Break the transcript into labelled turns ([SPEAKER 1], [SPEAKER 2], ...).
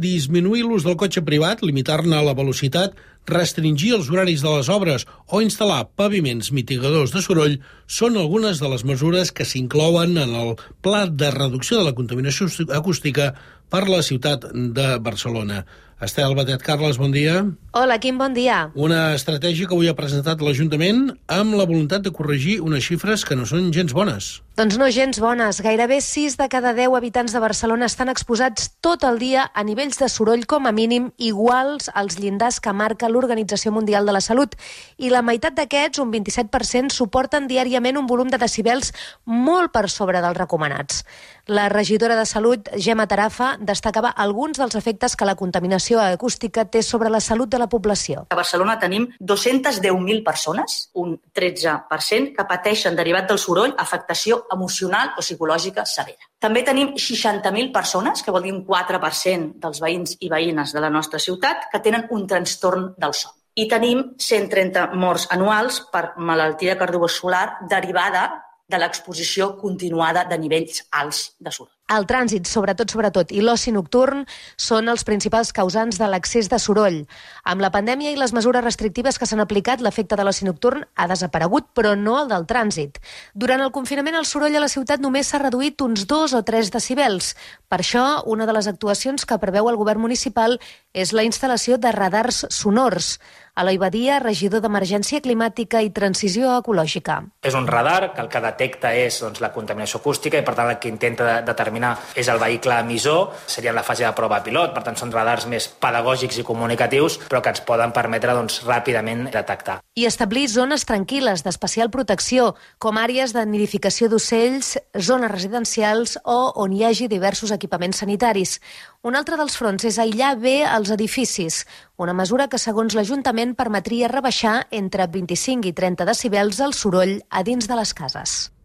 [SPEAKER 1] Disminuir l'ús del cotxe privat, limitar-ne la velocitat, restringir els horaris de les obres o instal·lar paviments mitigadors de soroll són algunes de les mesures que s'inclouen en el Pla de Reducció de la Contaminació Acústica per la ciutat de Barcelona. Estel Batet Carles, bon dia.
[SPEAKER 2] Hola, Quim, bon dia.
[SPEAKER 1] Una estratègia que avui ha presentat l'Ajuntament amb la voluntat de corregir unes xifres que no són gens bones.
[SPEAKER 2] Doncs no gens bones. Gairebé 6 de cada 10 habitants de Barcelona estan exposats tot el dia a nivells de soroll com a mínim iguals als llindars que marca l'Organització Mundial de la Salut. I la meitat d'aquests, un 27%, suporten diàriament un volum de decibels molt per sobre dels recomanats. La regidora de Salut, Gemma Tarafa, destacava alguns dels efectes que la contaminació acústica té sobre la salut de la població.
[SPEAKER 3] A Barcelona tenim 210.000 persones, un 13%, que pateixen, derivat del soroll, afectació emocional o psicològica severa. També tenim 60.000 persones, que vol dir un 4% dels veïns i veïnes de la nostra ciutat, que tenen un trastorn del son. I tenim 130 morts anuals per malaltia cardiovascular derivada de l'exposició continuada de nivells alts de soroll.
[SPEAKER 2] El trànsit, sobretot, i l'oci nocturn són els principals causants de l'excés de soroll. Amb la pandèmia i les mesures restrictives que s'han aplicat, l'efecte de l'oci nocturn ha desaparegut, però no el del trànsit. Durant el confinament, el soroll a la ciutat només s'ha reduït uns 2 o 3 decibels. Per això, una de les actuacions que preveu el govern municipal és la instal·lació de radars sonors. Eloi Badia, regidor d'Emergència Climàtica i Transició Ecològica.
[SPEAKER 4] És un radar que el que detecta és la contaminació acústica i, per tant, el que intenta determinar és el vehicle emissor, seria en la fase de prova pilot, per tant són radars més pedagògics i comunicatius, però que ens poden permetre ràpidament detectar.
[SPEAKER 2] I establir zones tranquil·les d'especial protecció, com àrees de nidificació d'ocells, zones residencials o on hi hagi diversos equipaments sanitaris. Un altre dels fronts és aïllar bé els edificis, una mesura que, segons l'Ajuntament, permetria rebaixar entre 25 i 30 decibels el soroll a dins de les cases.